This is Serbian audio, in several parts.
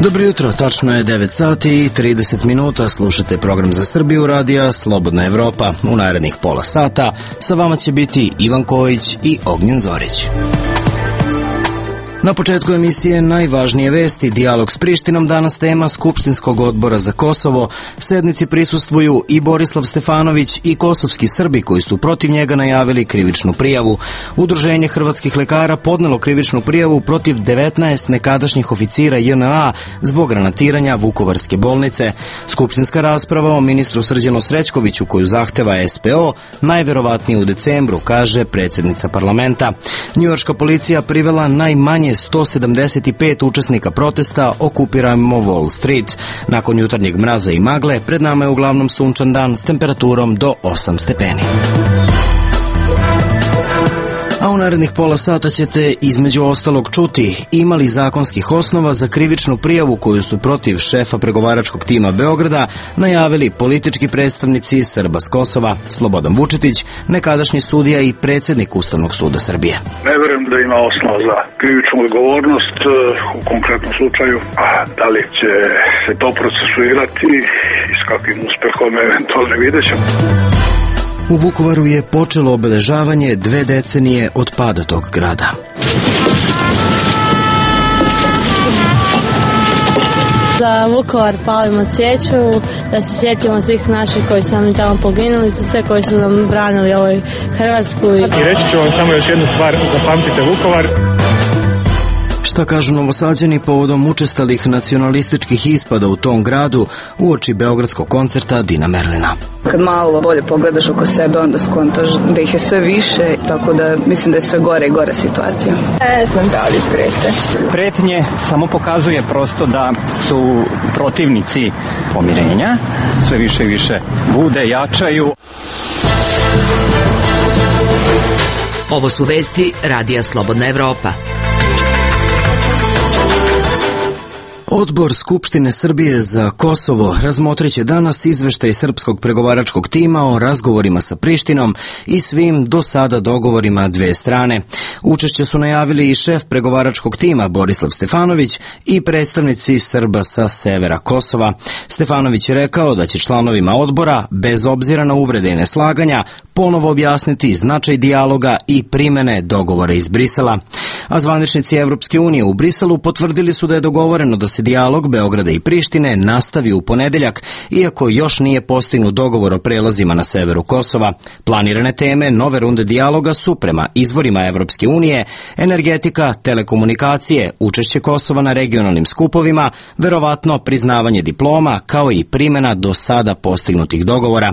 Dobro jutro, tačno je 9 sati i 30 minuta, slušate program za Srbiju radija Slobodna Evropa. U narednih pola sata sa vama će biti Ivan Kojić i Ognjen Zorić. Na početku emisije najvažnije vesti, dijalog s Prištinom, danas tema Skupštinskog odbora za Kosovo. Sednici prisustvuju i Borislav Stefanović i kosovski Srbi koji su protiv njega najavili krivičnu prijavu. Udruženje hrvatskih lekara podnelo krivičnu prijavu protiv 19 nekadašnjih oficira JNA zbog granatiranja Vukovarske bolnice. Skupštinska rasprava o ministru Srđanu Srećkoviću koju zahteva SPO najverovatnije u decembru, kaže predsjednica parlamenta. Njujorška policija privela najmanje 175 učesnika protesta Okupirajmo Wall Street. Nakon jutarnjeg mraza i magle, pred nama je uglavnom sunčan dan s temperaturom do 8 stepeni. A u narednih pola sata ćete između ostalog čuti ima li zakonskih osnova za krivičnu prijavu koju su protiv šefa pregovaračkog tima Beograda najavili politički predstavnici Srba s Kosova. Slobodan Vučetić, nekadašnji sudija i predsjednik Ustavnog suda Srbije. Ne verujem da ima osnova za krivičnu odgovornost u konkretnom slučaju, a da li će se to procesuirati i s kakvim uspehom eventualno vidjet ćemo. U Vukovaru je počelo obeležavanje 2 decenije od pada tog grada. Za Vukovar palimo svijeću, da se sjetimo svih naših koji su nam tamo poginuli, za sve koji su nam branili ovoj Hrvatsku. I reći ću vam samo još jednu stvar, zapamtite Vukovar. Šta kažu Novosađani povodom učestalih nacionalističkih ispada u tom gradu uoči beogradskog koncerta Dina Merlina? Kad malo bolje pogledaš oko sebe, onda skontaš da ih je sve više, tako da mislim da je sve gore i gore situacija. Ne znam da li prete. Pretnje samo pokazuje prosto da su protivnici pomirenja, sve više i više bude, jačaju. Ovo su vesti Radija Slobodna Evropa. Odbor Skupštine Srbije za Kosovo razmotriće danas izveštaj srpskog pregovaračkog tima o razgovorima sa Prištinom i svim do sada dogovorima dve strane. Učešće su najavili i šef pregovaračkog tima Borislav Stefanović i predstavnici Srba sa severa Kosova. Stefanović je rekao da će članovima odbora, bez obzira na uvrede i neslaganja, ponovo objasniti značaj dijaloga i primene dogovora iz Brisela. A zvaničnici Evropske unije u Briselu potvrdili su da je dogovoreno da se dijalog Beograda i Prištine nastavi u ponedeljak, iako još nije postignut dogovor o prelazima na severu Kosova. Planirane teme nove runde dijaloga su, prema izvorima Evropske unije, energetika, telekomunikacije, učešće Kosova na regionalnim skupovima, verovatno priznavanje diploma, kao i primjena do sada postignutih dogovora.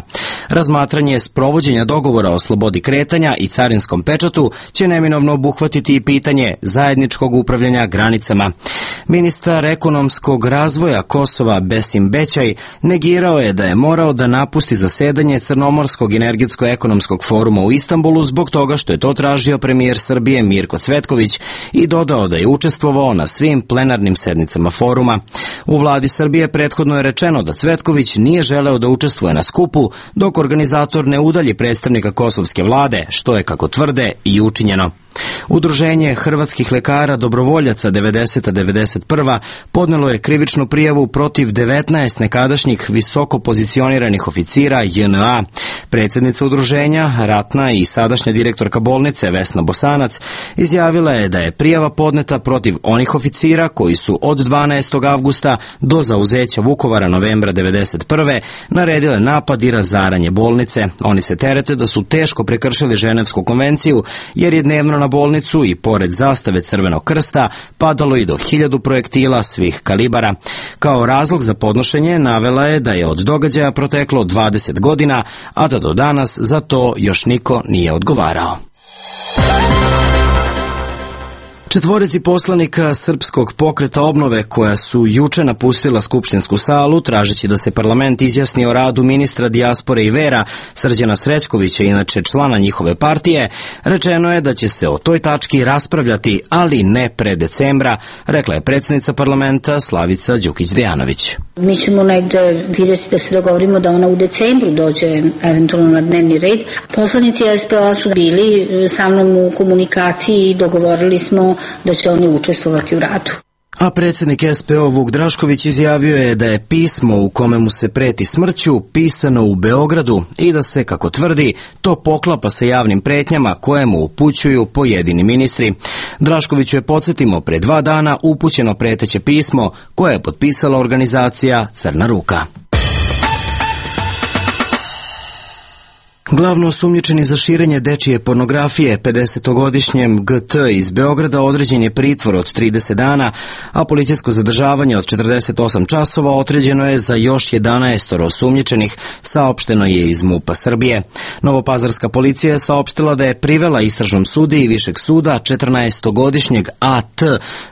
Razmatranje sprovođenja dogovora o slobodi kretanja i carinskom pečatu će neminovno obuhvatiti i pitanje zajedničkog upravljanja granicama. Ministar ekonomskog razvoja Kosova Besim Bećaj negirao je da je morao da napusti zasedanje Crnomorskog energetsko-ekonomskog foruma u Istanbulu zbog toga što je to tražio premijer Srbije Mirko Cvetković i dodao da je učestvovao na svim plenarnim sednicama foruma. U vladi Srbije prethodno je rečeno da Cvetković nije želeo da učestvuje na skupu dok organizator ne udalji predstavnika kosovske vlade, što je, kako tvrde, i učinjeno. Udruženje hrvatskih lekara dobrovoljaca 90-91 podnelo je krivičnu prijavu protiv 19 nekadašnjih visoko pozicioniranih oficira JNA. Predsjednica udruženja, ratna i sadašnja direktorka bolnice Vesna Bosanac, izjavila je da je prijava podneta protiv onih oficira koji su od 12. avgusta do zauzeća Vukovara novembra 91. naredile napad i razaranje bolnice. Oni se terete da su teško prekršili Ženevsku konvenciju jer je dnevno na bolnicu i pored zastave Crvenog krsta padalo i do 1000 projektila svih kalibara. Kao razlog za podnošenje navela je da je od događaja proteklo 20 godina, a da do danas za to još niko nije odgovarao. Četvorici poslanika Srpskog pokreta obnove koja su juče napustila skupštinsku salu tražeći da se parlament izjasni o radu ministra dijaspore i vera Srđana Srećkovića, inače člana njihove partije, rečeno je da će se o toj tački raspravljati, ali ne pre decembra, rekla je predsjednica parlamenta Slavica Đukić Dejanović. Mi ćemo negde vidjeti da se dogovorimo da ona u decembru dođe eventualno na dnevni red. Poslanici SPO su bili sa mnom u komunikaciji i dogovorili smo da će oni učestvovati u radu. A predsjednik SPO Vuk Drašković izjavio je da je pismo u kome mu se preti smrću pisano u Beogradu i da se, kako tvrdi, to poklapa sa javnim pretnjama koje mu upućuju pojedini ministri. Draškoviću je, podsjetimo, pre 2 dana upućeno preteće pismo koje je potpisala organizacija Crna ruka. Glavno osumnjičeni za širenje dečije pornografije, 50-godišnjem GT iz Beograda, određen je pritvor od 30 dana, a policijsko zadržavanje od 48 časova određeno je za još 11 osumnjičenih, saopšteno je iz MUP-a Srbije. Novopazarska policija je saopštila da je privela istražnom sudiji Višeg suda 14-godišnjeg AT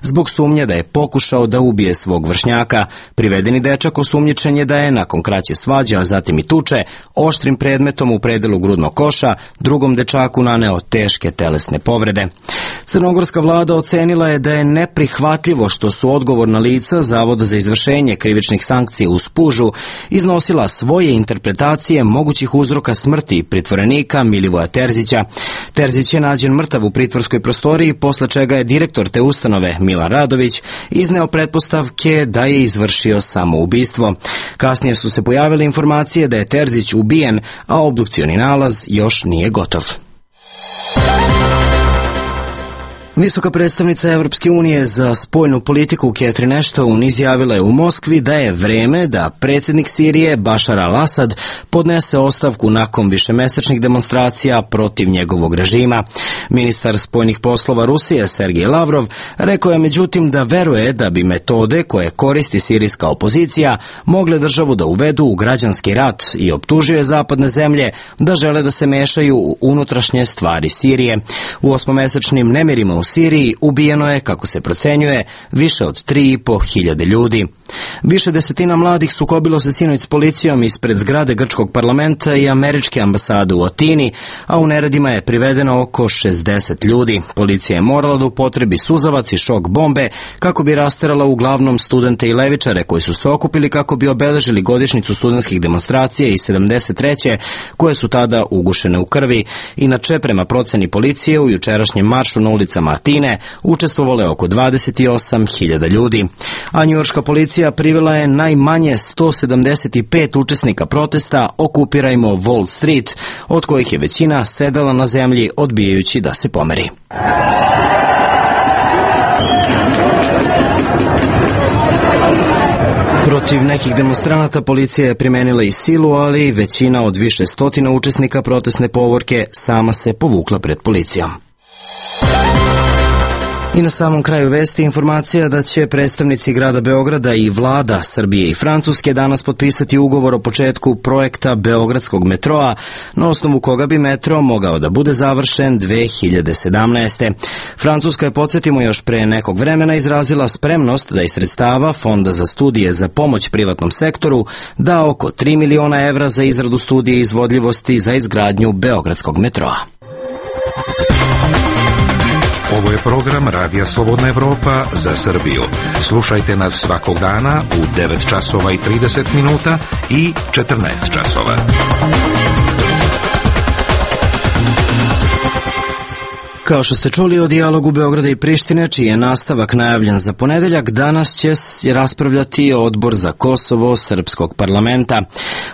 zbog sumnje da je pokušao da ubije svog vršnjaka. Privedeni dečak osumnjičen je da je nakon kraće svađe, a zatim i tuče, oštrim predmetom u predelu grudnog koša drugom dečaku naneo teške telesne povrede. Crnogorska vlada ocenila je da je neprihvatljivo što su odgovorna lica Zavoda za izvršenje krivičnih sankcija u Spužu iznosila svoje interpretacije mogućih uzroka smrti pritvorenika Milivoja Terzića. Terzić je nađen mrtav u pritvorskoj prostoriji, posle čega je direktor te ustanove Milan Radović izneo pretpostavke da je izvršio samoubistvo. Kasnije su se pojavile informacije da je Terzić ubijen, a obdukcioni nalaz još nije gotov. Visoka predstavnica Evropske unije za spoljnu politiku Catherine Ashton izjavila je u Moskvi da je vreme da predsjednik Sirije Bašar al-Asad podnese ostavku nakon višemesečnih demonstracija protiv njegovog režima. Ministar spoljnih poslova Rusije Sergej Lavrov rekao je međutim da veruje da bi metode koje koristi sirijska opozicija mogle državu da uvedu u građanski rat i optužio je zapadne zemlje da žele da se mešaju u unutrašnje stvari Sirije. U 8-mesečnim nemirima u Siriji ubijeno je, kako se procenjuje, više od 3.500 ljudi. Više desetina mladih sukobilo se sinoć s policijom ispred zgrade grčkog parlamenta i američke ambasade u Atini, a u neredima je privedeno oko 60 ljudi. Policija je morala da upotrebi suzavac i šok bombe kako bi rasterala uglavnom studente i levičare koji su se okupili kako bi obeležili godišnjicu studentskih demonstracija iz 73. koje su tada ugušene u krvi. Inače, prema proceni policije, u jučerašnjem maršu na ulicama Atine učestvovalo je oko 28.000 ljudi. A njujorška policija privela je najmanje 175 učesnika protesta Okupirajmo Wall Street, od kojih je većina sedela na zemlji odbijajući da se pomeri. Protiv nekih demonstranata policija je primenila i silu, ali većina od više stotina učesnika protestne povorke sama se povukla pred policijom. I na samom kraju vesti informacija da će predstavnici grada Beograda i vlada Srbije i Francuske danas potpisati ugovor o početku projekta Beogradskog metroa, na osnovu koga bi metro mogao da bude završen 2017. Francuska je, podsjetimo, još pre nekog vremena izrazila spremnost da iz sredstava Fonda za studije za pomoć privatnom sektoru da oko 3 miliona evra za izradu studije izvodljivosti za izgradnju Beogradskog metroa. Ovo je program Radija Slobodna Evropa za Srbiju. Slušajte nas svakog dana u 9 časova i 30 minuta i 14 časova. Kao što ste čuli o dijalogu Beograda i Prištine, čiji je nastavak najavljen za ponedeljak, danas će raspravljati Odbor za Kosovo Srpskog parlamenta.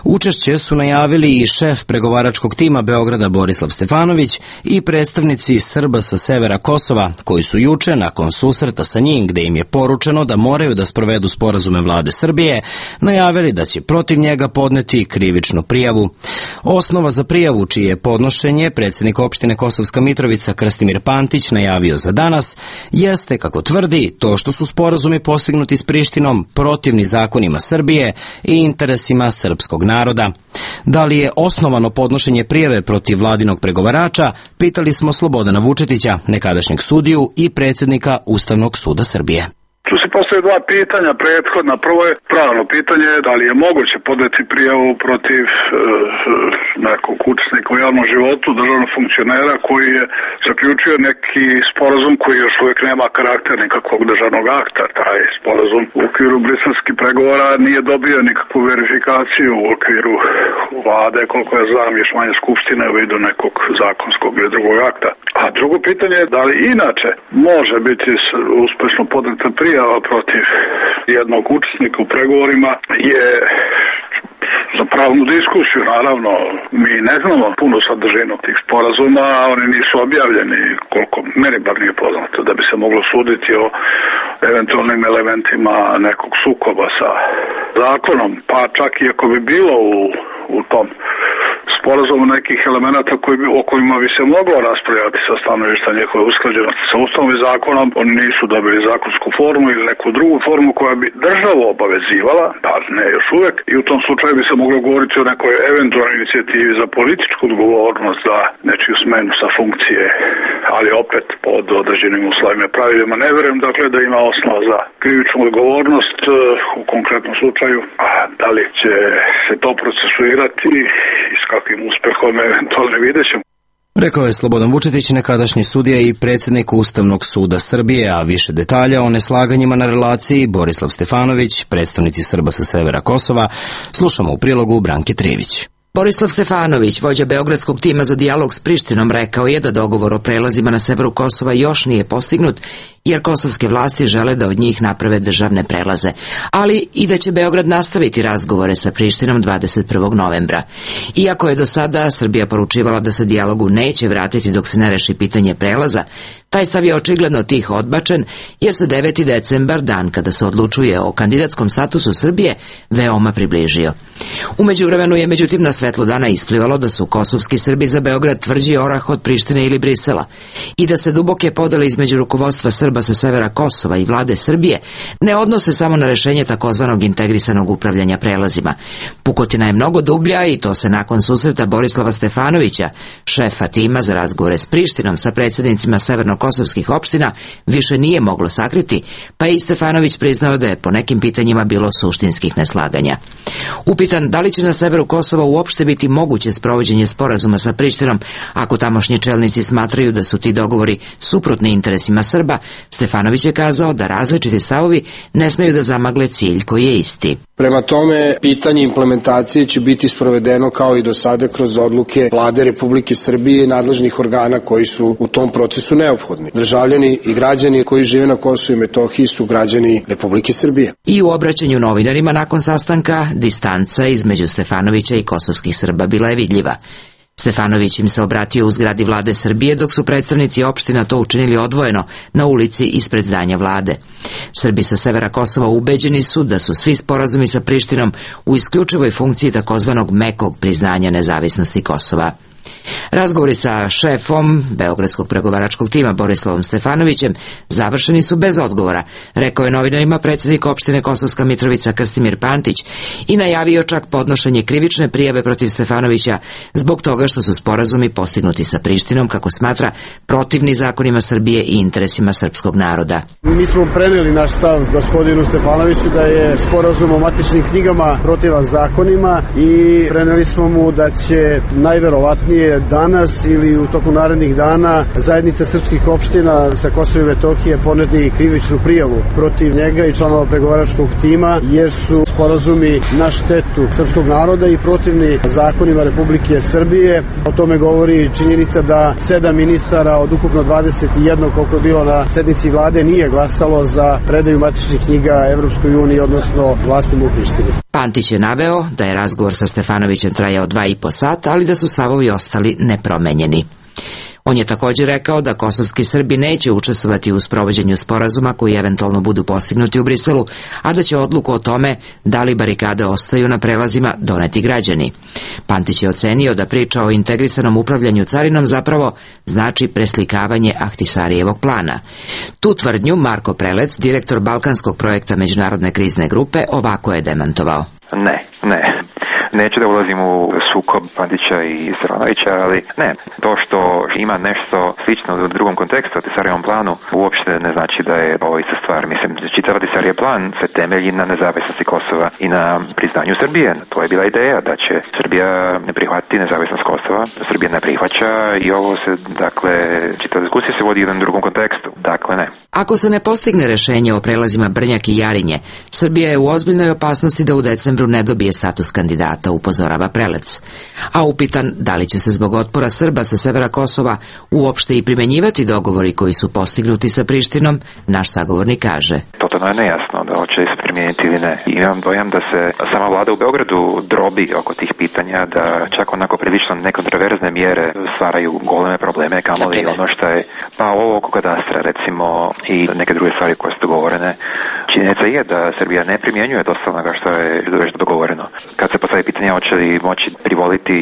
Učešće su najavili i šef pregovaračkog tima Beograda Borislav Stefanović i predstavnici Srba sa severa Kosova, koji su juče, nakon susreta sa njim, gde im je poručeno da moraju da sprovedu sporazume vlade Srbije, najavili da će protiv njega podneti krivičnu prijavu. Osnova za prijavu, čije je podnošenje predsjednik opštine Kosovska Mitrovica Krstimir Pantić najavio za danas, jeste, kako tvrdi, to što su sporazumi postignuti s Prištinom protivni zakonima Srbije i interesima srpskog naroda. Da li je osnovano podnošenje prijave protiv vladinog pregovarača, pitali smo Slobodana Vučetića, nekadašnjeg sudiju i predsjednika Ustavnog suda Srbije. Što se postoje dva pitanja prethodna. Prvo je pravno pitanje, da li je moguće podneti prijavu protiv nekog učesnika u javnom životu, državnog funkcionera koji je zaključio neki sporazum koji još uvijek nema karakter nikakvog državnog akta. Taj sporazum u okviru briselskih pregovora nije dobio nikakvu verifikaciju u okviru vlade, koliko ja znam, još manje skupštine u vidu nekog zakonskog ili drugog akta. A drugo pitanje je da li inače može biti uspešno podneta prijava protiv jednog učesnika u pregovorima je za pravnu diskusiju. Naravno, mi ne znamo puno sadržinu tih sporazuma, oni nisu objavljeni, koliko meni bar nije poznato, da bi se moglo suditi o eventualnim elementima nekog sukoba sa zakonom, pa čak i ako bi bilo u tom sporazumu nekih elemenata o kojima bi se moglo raspravljati sa stanovišta njihove usklađenosti sa Ustavom i zakonom, oni nisu dobili zakonsku formu ili neku drugu formu koja bi državu obavezivala, pa ne još uvek, i u tom slučaju bi se moglo govoriti o nekoj eventualnoj inicijativi za političku odgovornost za nečiju smenu sa funkcije, ali opet pod određenim uslovima i pravilima. Ne verujem dakle da ima osnova za krivičnu odgovornost u konkretnom slučaju, a da li će se to procesuirati i s kakvim uspehom eventualno vidjet ćemo. Rekao je Slobodan Vučetić, nekadašnji sudija i predsjednik Ustavnog suda Srbije, a više detalja o neslaganjima na relaciji Borislav Stefanović, predstavnici Srba sa severa Kosova, slušamo u prilogu Branke Trivić. Borislav Stefanović, vođa beogradskog tima za dijalog s Prištinom, rekao je da dogovor o prelazima na severu Kosova još nije postignut, jer kosovske vlasti žele da od njih naprave državne prelaze, ali i da će Beograd nastaviti razgovore sa Prištinom 21. novembra. Iako je do sada Srbija poručivala da se dijalogu neće vratiti dok se ne reši pitanje prelaza, taj stav je očigledno tiho odbačen, jer se 9. decembar, dan kada se odlučuje o kandidatskom statusu Srbije, veoma približio. U međuvremenu je međutim na svetlo dana isplivalo da su kosovski Srbi za Beograd tvrđi orah od Prištine ili Brisela i da se duboke podele između rukovodstva Srba sa severa Kosova i vlade Srbije ne odnose samo na rešenje takozvanog integrisanog upravljanja prelazima. Pukotina je mnogo dublja i to se nakon susreta Borislava Stefanovića, šefa tima za razgovore s Prištinom sa predsjednicima severnokosovskih opština, više nije moglo sakriti, pa je i Stefanović priznao da je po nekim pitanjima bilo suštinskih neslaganja. Upitan da li će na severu Kosova uopšte biti moguće sprovođenje sporazuma sa Prištinom ako tamošnji čelnici smatraju da su ti dogovori suprotni interesima Srba, Stefanović je kazao da različiti stavovi ne smeju da zamagle cilj koji je isti. Prema tome, pitanje implementacije će biti sprovedeno kao i do sada kroz odluke Vlade Republike Srbije i nadležnih organa koji su u tom procesu neophodni. Državljani i građani koji žive na Kosovu i Metohiji su građani Republike Srbije. I u obraćanju novinarima nakon sastanka, distanca između Stefanovića i kosovskih Srba bila je vidljiva. Stefanović im se obratio u zgradi vlade Srbije, dok su predstavnici opština to učinili odvojeno na ulici ispred zdanja vlade. Srbi sa severa Kosova ubeđeni su da su svi sporazumi sa Prištinom u isključivoj funkciji takozvanog mekog priznanja nezavisnosti Kosova. Razgovori sa šefom beogradskog pregovaračkog tima Borislavom Stefanovićem završeni su bez odgovora, rekao je novinarima predsjednik opštine Kosovska Mitrovica Krstimir Pantić i najavio čak podnošenje krivične prijave protiv Stefanovića zbog toga što su sporazumi postignuti sa Prištinom, kako smatra, protivni zakonima Srbije i interesima srpskog naroda. Mi smo preneli naš stav gospodinu Stefanoviću da je sporazum o matičnim knjigama protivan zakonima i preneli smo mu da će najverovatnije danas ili u toku narednih dana zajednica srpskih opština sa Kosova i Metohije podneti krivičnu prijavu protiv njega i članova pregovaračkog tima, jer su sporazumi na štetu srpskog naroda i protivni zakonima Republike Srbije. O tome govori činjenica da 7 ministara od ukupno 21 koliko je bilo na sednici vlade nije glasalo za predaju matičnih knjiga Evropskoj uniji, odnosno vlastima u Prištini. Pantić je naveo da je razgovor sa Stefanovićem trajao 2,5 sata, ali da su stavovi ostali nepromenjeni. On je također rekao da kosovski Srbi neće učestvovati u sprovođenju sporazuma koji eventualno budu postignuti u Briselu, a da će odluku o tome da li barikade ostaju na prelazima doneti građani. Pantić je ocenio da priča o integrisanom upravljanju carinom zapravo znači preslikavanje Ahtisarijevog plana. Tu tvrdnju Marko Prelec, direktor balkanskog projekta Međunarodne krizne grupe, ovako je demantovao. Ne. Neću da ulazim u sukob Bandića i Stefanovića, ali ne, to što ima nešto slično u drugom kontekstu, u Tisarijevom planu, uopšte ne znači da je ovo ista stvar. Mislim, čitav Tisarijev plan se temelji na nezavisnosti Kosova i na priznanju Srbije. To je bila ideja da će Srbija ne prihvatiti nezavisnost Kosova, Srbija ne prihvaća i ovo se, dakle, čitava diskusija se vodi u jednom drugom kontekstu. Dakle, ne. Ako se ne postigne rešenje o prelazima Brnjak i Jarinje, Srbija je u ozbiljnoj opasnosti da u decembru ne dobije status kandidata, upozorava Prelec. A upitan da li će se zbog otpora Srba sa severa Kosova uopšte i primenjivati dogovori koji su postignuti sa Prištinom, naš sagovornik kaže. Totalno je nejasno da hoće se primijeniti ili ne. Imam dojam da se sama vlada u Beogradu drobi oko tih pitanja, da čak onako prilično nekontroverzne mjere stvaraju goleme probleme, kamoli ono što je, pa ovo oko kadastra recimo i neke druge stvari koje su dogovorene. Činjenica je da Srbija ne primjenjuje dosta onoga što je već dogovoreno. Kad se postavi pitanje hoće li moći privoliti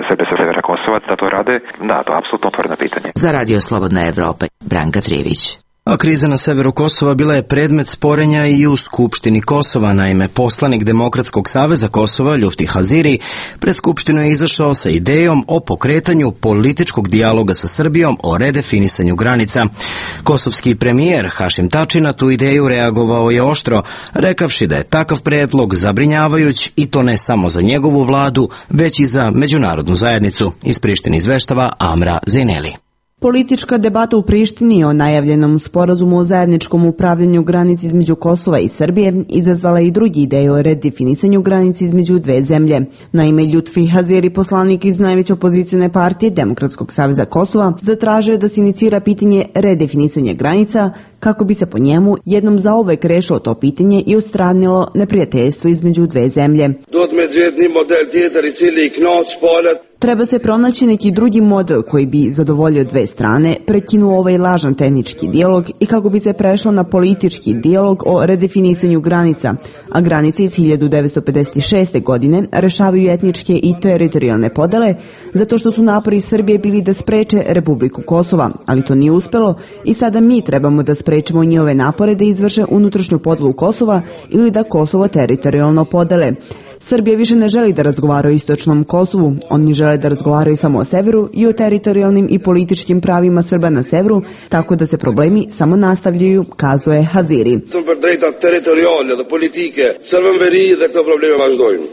Srbe sa severa Kosova da to rade, da, to je apsolutno otvoreno pitanje. Za Radio Slobodna Evropa, Branka Trivić. A kriza na severu Kosova bila je predmet sporenja i u Skupštini Kosova. Naime, poslanik Demokratskog saveza Kosova, Ljufti Haziri, pred Skupštinu je izašao sa idejom o pokretanju političkog dijaloga sa Srbijom o redefinisanju granica. Kosovski premijer Hašim Tači na tu ideju reagovao je oštro, rekavši da je takav predlog zabrinjavajuć i to ne samo za njegovu vladu, već i za međunarodnu zajednicu. Iz Prištine izveštava Amra Zeneli. Politička debata u Prištini o najavljenom sporazumu o zajedničkom upravljanju granici između Kosova i Srbije izazvala i drugi ideje o redefinisanju granici između dve zemlje. Naime, Ljutfi Haziri, poslanik iz najveće opozicione partije Demokratskog saveza Kosova, zatražio je da se inicira pitanje redefinisanja granica kako bi se po njemu jednom zauvek rešilo to pitanje i odstranilo neprijateljstvo između dve zemlje. Treba se pronaći neki drugi model koji bi zadovoljio dve strane, prekinuo ovaj lažan tehnički dijalog i kako bi se prešlo na politički dijalog o redefinisanju granica, a granice iz 1956. godine rešavaju etničke i teritorijalne podele, zato što su napori Srbije bili da spreče Republiku Kosova, ali to nije uspelo i sada mi trebamo da sprečemo njihove napore da izvrše unutrašnju podelu Kosova ili da Kosovo teritorijalno podele. Srbija više ne želi da razgovara o istočnom Kosovu, oni žele da razgovaraju samo o severu i o teritorijalnim i političkim pravima Srba na severu, tako da se problemi samo nastavljaju, kazuje Haziri.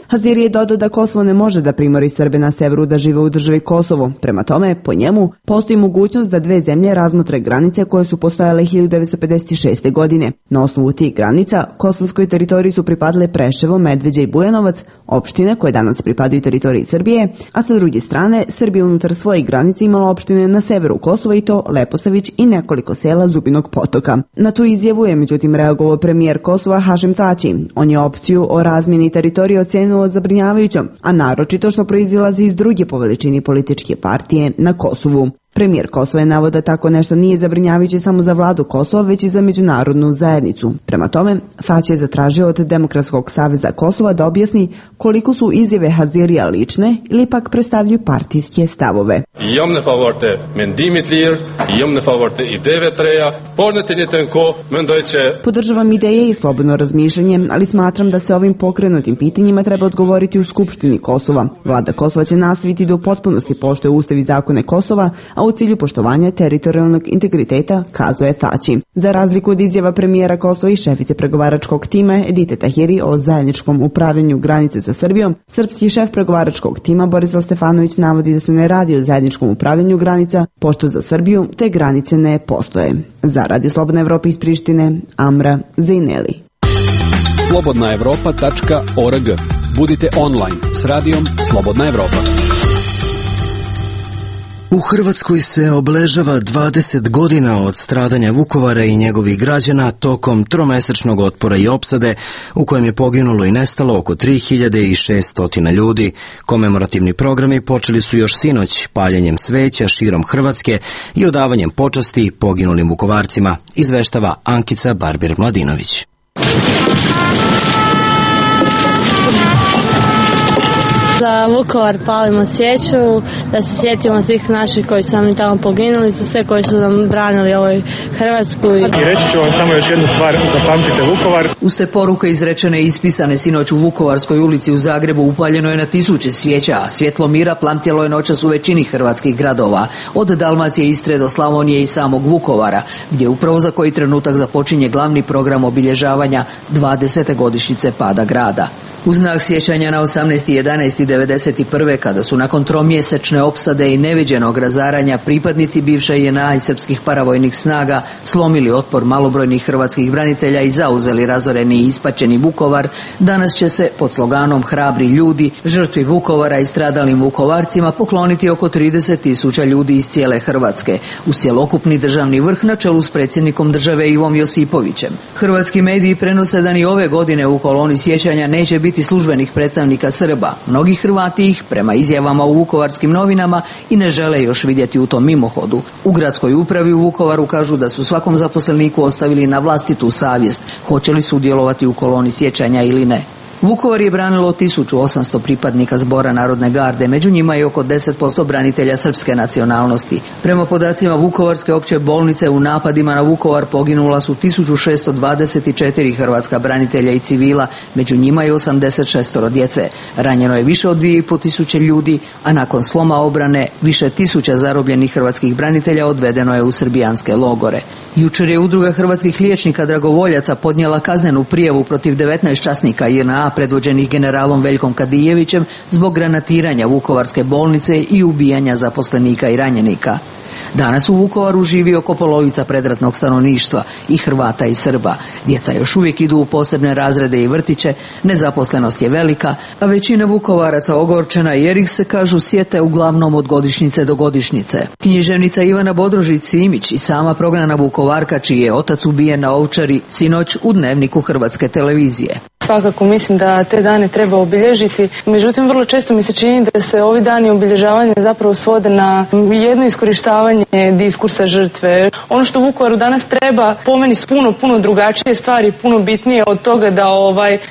Haziri je dodao da Kosovo ne može da primori Srbe na severu da žive u državi Kosovo. Prema tome, po njemu, postoji mogućnost da dve zemlje razmotre granice koje su postojale 1956. godine. Na osnovu tih granica, kosovskoj teritoriji su pripadale Preševo, Medveđa i Bujanovac, opštine koje danas pripadaju teritoriji Srbije, a sa druge strane Srbija unutar svojih granica imala opštine na severu Kosova i to Leposavić i nekoliko sela Zubinog potoka. Na tu izjavu je međutim reagovao premijer Kosova Hašim Tači. On je opciju o razmjeni teritorije ocenio zabrinjavajućom, a naročito što proizilazi iz druge po veličini političke partije na Kosovu. Premijer Kosova je naveo da tako nešto nije zabrinjavajuće samo za vladu Kosova, već i za međunarodnu zajednicu. Prema tome, Tači je zatražio od Demokratskog saveza Kosova da objasni koliko su izjave Hazirija lične ili pak predstavljaju partijske stavove. Jam në favor të mendimit lir, jam në favor të ideve të reja, por në të njëjtën kohë mendoj që podržavam ideje i slobodno razmišljanje, ali smatram da se ovim pokrenutim pitanjima treba odgovoriti u Skupštini Kosova. Vlada Kosova će nastaviti da u potpunosti poštuje ustav i zakone Kosova, a u cilju poštovanja teritorijalnog integriteta, kazuje Tači. Za razliku od izjava premijera Kosova i šefice pregovaračkog tima Edite Tahiri o zajedničkom upravljanju granice sa Srbijom, srpski šef pregovaračkog tima Borislav Stefanović navodi da se ne radi o zajedničkom upravljanju granica, pošto za Srbiju te granice ne postoje. Za Radio Slobodna Evropa iz Prištine, Amra Zeneli. slobodnaevropa.org. Budite online s radijom Slobodna Evropa. U Hrvatskoj se obeležava 20 godina od stradanja Vukovara i njegovih građana tokom tromesečnog otpora i opsade u kojem je poginulo i nestalo oko 3600 ljudi. Komemorativni programi počeli su još sinoć paljenjem sveća širom Hrvatske i odavanjem počasti poginulim Vukovarcima, izveštava Ankica Barbir-Mladinović. Za Vukovar palimo svijeću, da se sjetimo svih naših koji su nam tamo poginuli, za sve koji su nam branili ovoj Hrvatsku. I reći ću vam samo još jednu stvar, zapamtite Vukovar. Uz te poruke izrečene i ispisane sinoć u Vukovarskoj ulici u Zagrebu upaljeno je na tisuće svijeća, a svjetlo mira plamtjelo je noćas u većini hrvatskih gradova, od Dalmacije, Istre do Slavonije i samog Vukovara, gdje upravo za koji trenutak započinje glavni program obilježavanja 20. godišnjice pada grada. U znak sjećanja na 18.11.1991. kada su nakon tromjesečne opsade i neviđenog razaranja pripadnici bivše JNA i srpskih paravojnih snaga slomili otpor malobrojnih hrvatskih branitelja i zauzeli razoreni i ispačeni Vukovar, danas će se pod sloganom Hrabri ljudi, žrtvi Vukovara i stradalim Vukovarcima pokloniti oko 30.000 ljudi iz cijele Hrvatske, uz cjelokupni državni vrh na čelu s predsjednikom države Ivom Josipovićem. Hrvatski mediji prenose da ni ove godine u koloni sjećanja neće biti službenih predstavnika Srba. Mnogi Hrvati ih, prema izjavama u vukovarskim novinama, i ne žele još vidjeti u tom mimohodu. U gradskoj upravi u Vukovaru kažu da su svakom zaposleniku ostavili na vlastitu savjest hoće li sudjelovati u koloni sjećanja ili ne. Vukovar je branilo 1800 pripadnika Zbora narodne garde, među njima je oko 10% branitelja srpske nacionalnosti. Prema podacima Vukovarske opće bolnice, u napadima na Vukovar poginula su 1624 hrvatska branitelja i civila, među njima je 86 djece. Ranjeno je više od 2500 ljudi, a nakon sloma obrane više tisuća zarobljenih hrvatskih branitelja odvedeno je u srbijanske logore. Jučer je Udruga hrvatskih liječnika dragovoljaca podnijela kaznenu prijavu protiv 19 časnika JNA predvođenih generalom Veljkom Kadijevićem zbog granatiranja Vukovarske bolnice i ubijanja zaposlenika i ranjenika. Danas u Vukovaru živi oko polovica predratnog stanovništva, i Hrvata i Srba. Djeca još uvijek idu u posebne razrede i vrtiće, nezaposlenost je velika, a većina Vukovaraca ogorčena jer ih se, kažu, sjete uglavnom od godišnjice do godišnjice. Književnica Ivana Bodrožić-Simić i sama prognana Vukovarka, čiji je otac ubijen na Ovčari, sinoć u Dnevniku Hrvatske televizije. Svakako mislim da te dane treba obilježiti, međutim vrlo često mi se čini da se ovi dani obilježavanja zapravo svode na jedno iskorištavanje diskursa žrtve. Ono što Vukovaru danas treba, po meni su puno drugačije stvari, puno bitnije od toga da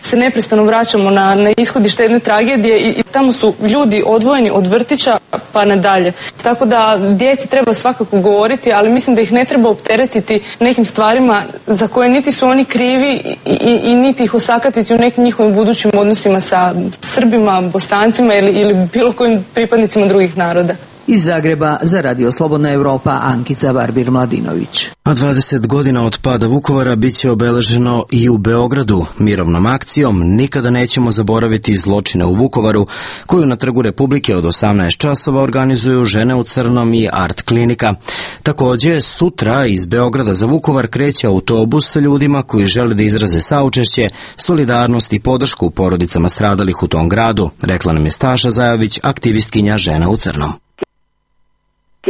se neprestano vraćamo na ishodište jedne tragedije i tamo su ljudi odvojeni od vrtića pa nadalje. Tako da djeci treba svakako govoriti, ali mislim da ih ne treba opteretiti nekim stvarima za koje niti su oni krivi i niti ih osakatiti u nekim njihovim budućim odnosima sa Srbima, Bosancima ili bilo kojim pripadnicima drugih naroda. Iz Zagreba za Radio Slobodna Evropa, Ankica Barbir-Mladinović. A 20 godina od pada Vukovara bit će obeleženo i u Beogradu. Mirovnom akcijom nikada nećemo zaboraviti zločine u Vukovaru, koju na Trgu Republike od 18 časova organizuju Žene u crnom i Art klinika. Također, sutra iz Beograda za Vukovar kreće autobus sa ljudima koji žele da izraze saučešće, solidarnost i podršku porodicama stradalih u tom gradu, rekla nam je Staša Zajović, aktivistkinja Žena u crnom.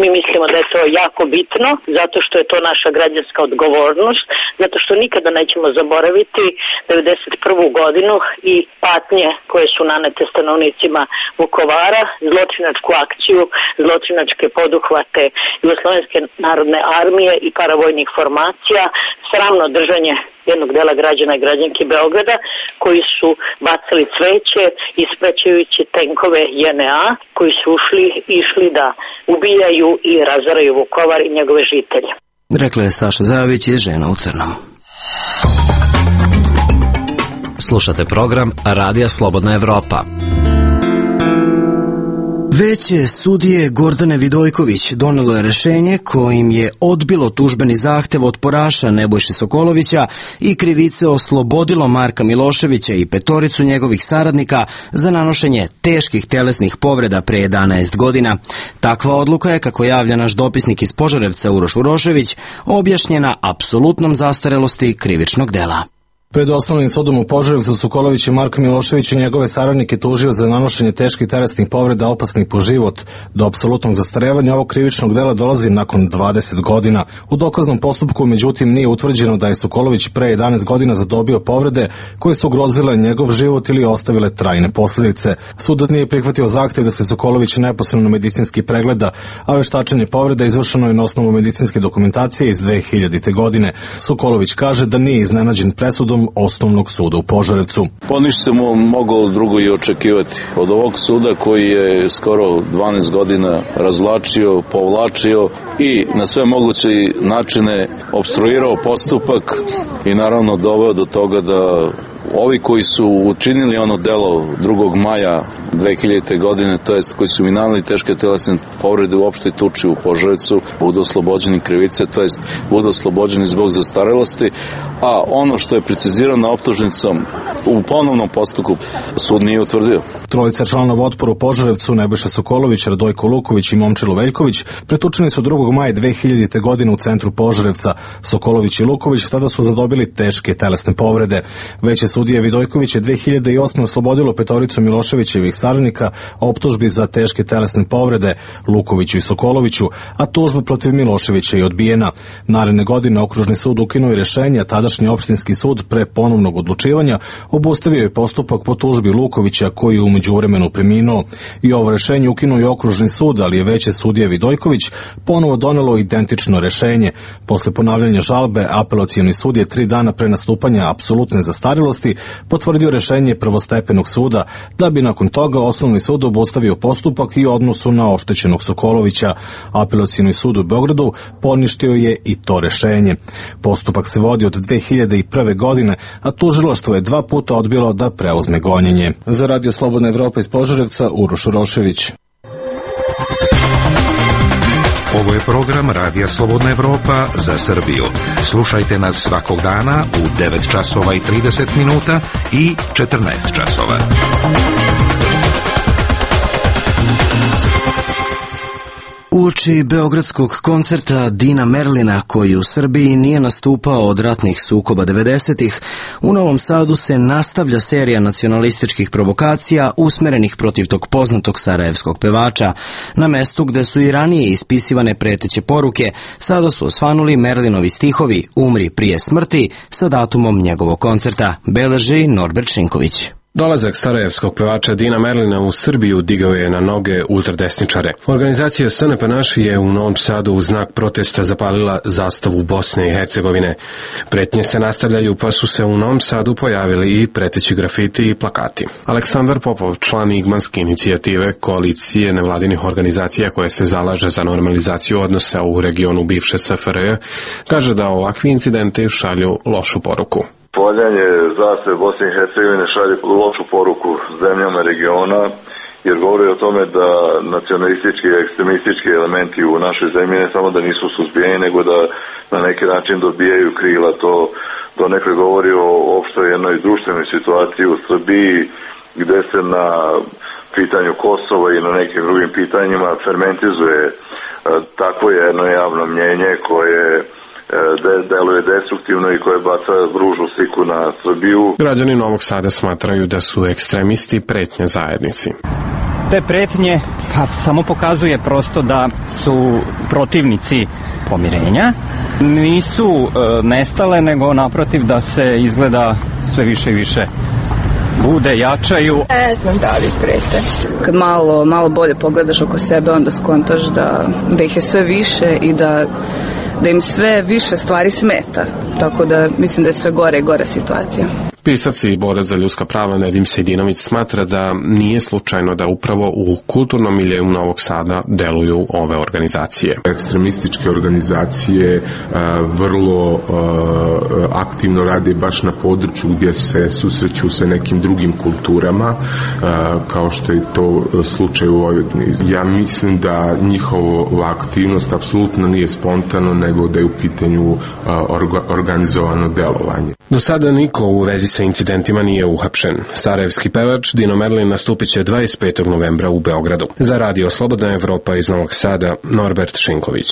Mi mislimo da je to jako bitno, zato što je to naša građanska odgovornost, zato što nikada nećemo zaboraviti 1991. godinu i patnje koje su nanete stanovnicima Vukovara, zločinačku akciju, zločinačke poduhvate Jugoslovenske narodne armije i paravojnih formacija, sramno držanje jednog dela građana i građanki Beograda koji su bacali cveće ispraćajući tenkove JNA koji su išli da ubijaju i razaraju Vukovar i njegove žitelje. Rekla je Staša Zajović iz Žena u crnom. Slušate program Radija Slobodna Evropa. Veće sudije Gordane Vidojković donelo je rješenje kojim je odbilo tužbeni zahtev otporaša Nebojše Sokolovića i krivice oslobodilo Marka Miloševića i petoricu njegovih saradnika za nanošenje teških telesnih povreda pre 11 godina. Takva odluka je, kako javlja naš dopisnik iz Požarevca Uroš Urošević, objašnjena apsolutnom zastarelosti krivičnog dela. Pred osnovnim sudom u Požarevcu Sokolović i Marko Milošević i njegove saradnike tužio za nanošenje teških telesnih povreda opasnih po život. Do apsolutnog zastarevanja ovog krivičnog dela dolazi nakon 20 godina. U dokaznom postupku, međutim, nije utvrđeno da je Sokolović pre 11 godina zadobio povrede koje su ugrozile njegov život ili ostavile trajne posljedice. Sud nije prihvatio zahtev da se Sokolović neposredno medicinski pregleda, a veštačenje povreda izvršeno je na osnovu medicinske dokumentacije iz 2000. godine. Sokolović kaže da nije iznenađen presudom Skupštinom Osnovnog suda u Požarevcu. Pa ništa se moglo drugo i očekivati. Od ovog suda koji je skoro 12 godina razvlačio, povlačio i na sve moguće načine opstruirao postupak i naravno doveo do toga da ovi koji su učinili ono delo 2. maja 2000. godine, to jest koji su minali teške telesne povrede u opštoj tuči u Požarevcu, budu oslobođeni krivice, to jest budu oslobođeni zbog zastarelosti, a ono što je precizirano optužnicom u ponovnom postupku sud nije utvrdio. Trojica članova otpora u Požarevcu, Nebojša Sokolović, Radojko Luković i Momčilo Veljković, pretučeni su 2. maja 2000. godine u centru Požarevca. Sokolović i Luković tada su zadobili teške telesne povrede. Veće sudije Vidojković je 2008. oslobodilo petoricu Miloševićevih saradnika optužbi za teške telesne povrede Lukoviću i Sokoloviću, a tužba protiv Miloševića je odbijena. Naredne godine okružni sud ukinuo i rešenje, a tadašnji opštinski sud pre ponovnog odlučivanja obustavio je postupak po tužbi Lukovića koji je u međuvremenu preminuo. I ovo rešenje ukinuo je okružni sud, ali je veće sudije Vidojković ponovo donelo identično rešenje. Posle ponavljanja žalbe, apelacioni sud je 3 dana pre nastupanja apsolutne zastarelosti potvrdio rešenje prvostepenog suda, da bi nakon toga Osnovni sud obustavio postupak i odnosu na oštećenog Sokolovića. Apelacioni sud u Beogradu poništio je i to rešenje. Postupak se vodi od 2001. godine, a tužilaštvo je 2 puta odbilo da preuzme gonjenje. Za Radio Slobodna Evropa iz Požarevca, Uroš Urošević. Ovo je program Radija Slobodna Evropa za Srbiju. Slušajte nas svakog dana u 9 časova i 30 minuta i 14 časova. Uoči beogradskog koncerta Dina Merlina, koji u Srbiji nije nastupao od ratnih sukoba 90-ih, u Novom Sadu se nastavlja serija nacionalističkih provokacija usmerenih protiv tog poznatog sarajevskog pevača. Na mestu gde su i ranije ispisivane preteće poruke, sada su osvanuli Merlinovi stihovi "Umri prije smrti" sa datumom njegovog koncerta, beleži Norbert Šinković. Dolazak sarajevskog pevača Dina Merlina u Srbiju digao je na noge ultradesničare. Organizacija SNP Naš je u Novom Sadu u znak protesta zapalila zastavu Bosne i Hercegovine. Pretnje se nastavljaju, pa su se u Novom Sadu pojavili i preteći grafiti i plakati. Aleksandar Popov, član Igmanske inicijative, koalicije nevladinih organizacija koje se zalaže za normalizaciju odnosa u regionu bivše SFRJ, kaže da ovakvi incidenti šalju lošu poruku. Valjanje zastave Bosne i Hercegovine šalje lošu poruku zemljama regiona, jer govori o tome da nacionalistički i ekstremistički elementi u našoj zemlji ne samo da nisu suzbijeni, nego da na neki način dobijaju krila. To nekako govori o opštoj jednoj društvenoj situaciji u Srbiji, gde se na pitanju Kosova i na nekim drugim pitanjima fermentizuje takvo jedno javno mnjenje koje deluje destruktivno i koje baca ružnu sliku na Srbiju. Građani Novog Sada smatraju da su ekstremisti pretnja zajednici. Te pretnje samo pokazuje prosto da su protivnici pomirenja. Nisu nestale, nego naprotiv da se izgleda sve više i više bude, jačaju. Ne znam da li prete. Kad malo bolje pogledaš oko sebe, onda skontaš da ih je sve više i da im sve više stvari smeta. Tako da mislim da je sve gore i gore situacija. Pisac i borac za ljudska prava Nedim Sejdinović smatra da nije slučajno da upravo u kulturnom miljeu Novog Sada deluju ove organizacije. Ekstremističke organizacije vrlo aktivno rade baš na području gdje se susreću sa nekim drugim kulturama, kao što je to slučaj u Vojvodini. Ja mislim da njihova aktivnost apsolutno nije spontano, nego da je u pitanju organizovano delovanje. Do sada niko u vezi sa incidentima nije uhapšen. Sarajevski pevač Dino Merlin nastupit će 25. novembra u Beogradu. Za Radio Slobodna Evropa iz Novog Sada, Norbert Šinković.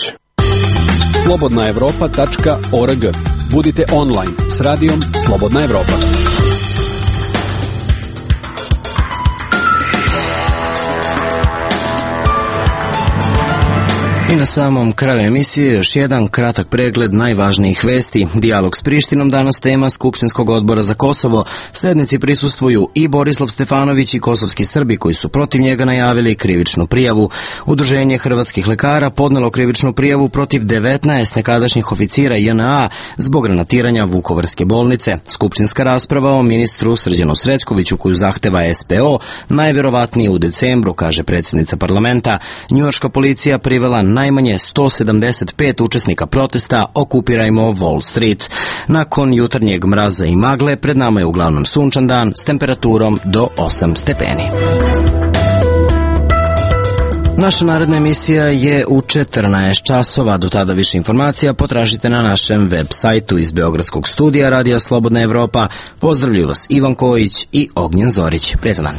slobodnaevropa.org. Budite online s radijom Slobodna Evropa. I na samom kraju emisije još jedan kratak pregled najvažnijih vesti. Dijalog s Prištinom danas tema Skupštinskog odbora za Kosovo. Sednici prisustvuju i Borislav Stefanović i kosovski Srbi koji su protiv njega najavili krivičnu prijavu. Udruženje hrvatskih lekara podnelo krivičnu prijavu protiv 19 nekadašnjih oficira JNA zbog granatiranja Vukovarske bolnice. Skupštinska rasprava o ministru Srđanu Srećkoviću koju zahteva SPO najverovatnije u decembru, kaže predsjednica parlamenta. Njujorška policija privela najmanje 175 učesnika protesta Okupirajmo Wall Street. Nakon jutarnjeg mraza i magle, pred nama je uglavnom sunčan dan s temperaturom do 8 stepeni. Naša naredna emisija je u 14 časova. Do tada više informacija potražite na našem web sajtu. Iz Beogradskog studija Radija Slobodna Evropa pozdravljuju vas Ivan Kojić i Ognjen Zorić. Prijetan dan.